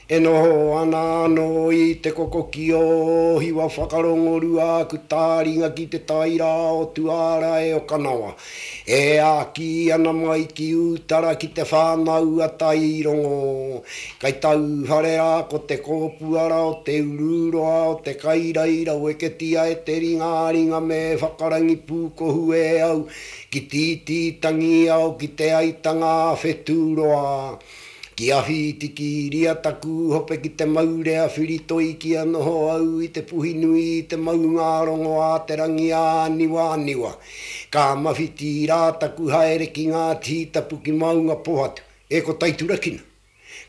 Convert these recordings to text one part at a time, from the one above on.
E noho ana anō i te kokoki o Hiwa whakarongorua aku tāringa ki te tai rā o Tuārae o Kanawa. E āki ana mai ki Ūtara ki te whānau a Tairongo. Kai tauwhare rā ko te kōpuara o te ururoa o te kairai raweketia e te ringaringa me whakarangi pūkohu e au ki tītī tangiao ki te aitanga a Whetūroa. Ki awhi ki ria taku hope ki te maurea whiritoi kia noho au i te puhi nui i te maungārongo a te rangi āniwaniwa. Ka mawhiti rā taku haere ki ngā tītapu ki Maungapohatu, e ko Taiturakina.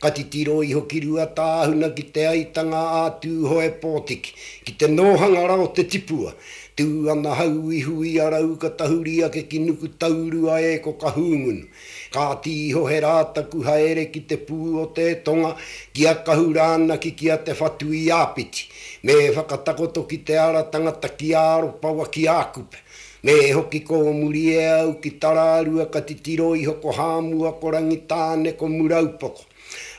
Ka titiro iho ki Ruatāhuna ki te aitanga a Tūhoe Pōtiki, ki te nōhanga ra o te tipua. Tū ana hau i Huiarau ka tahuri ake ki Nukutaurua e ko Kahungunu. Ka tīhohe rā taku haere ki te pū o te tonga, ki a Kahurānaki ki a Te Whatuiāpiti, me whakatakoto ki te ara tangata ki a Aropawa ki a Kupe. Me hoki kōmuri e au ki Tararua ka titiro iho ko Hāmua ko Rangitāne ko Muraupoko.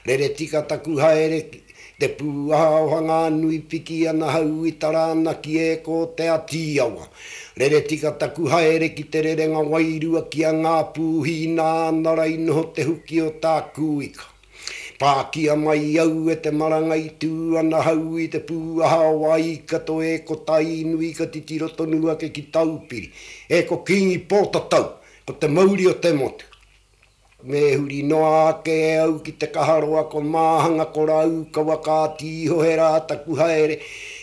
Rere tika taku haere ki te pūaha o Hanganui piki ana hau i Taranaki e ko Te Atiawa. Rere tika taku haere ki te rerenga wairua ki a Ngāpūhi nāna ra i noho te huki o tāku ika. Pākia mai au e te marangai tū ana hau i te pūaha o Waikato e ko Tainui ka titiro tonu ake ki Taupiri e ko Kīngi Pōtatau ko te mauri o te motu. Me huri noa ake e au ki te kaharoa ko Māhanga ko Raukawa ka tīhohe rā taku haere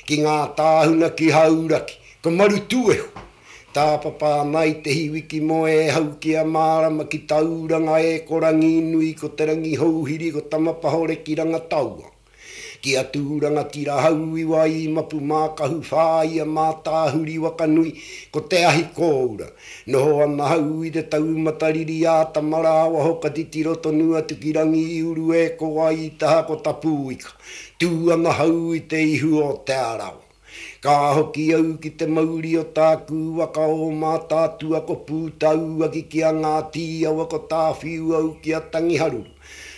ki ngā tāhuna ki Hauraki, ko Marutūehu. Tāpapa ana i te hiwi ki Moehau ki a Mārama ki Tauranga e ko Ranginui ko Te Rangihouhiri ko Tamapahore ki Rangataua. Ki a Tūrangatira Hauiwa i Mapu Mākahu whāia Mātāhuri Wakanui ko te ahi kōura. Noho ana hau i te taumata riri ā Tamarāwaho ka titiro tonu atu ki Rangiuru e ko Waitaha ko Tapuika. Tū ana hau i te ihu o Te Arawa. Ka hoki au ki te mauri o tāku waka o Mātaatua ko Pūtāuaki ki a Ngāti Awa ko Tāwhiu au ki a Tangiharuru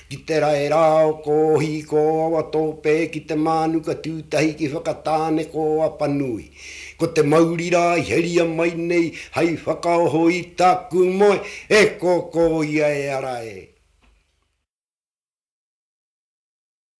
ki te rae rā o Kōhi ko Awatōpē ki te Mānuka tūtahi ki Whakatāne ko Apanui ko te mauri rā i heria mai nei hai whakaoho i tāku moe e kōkō ia e ara e.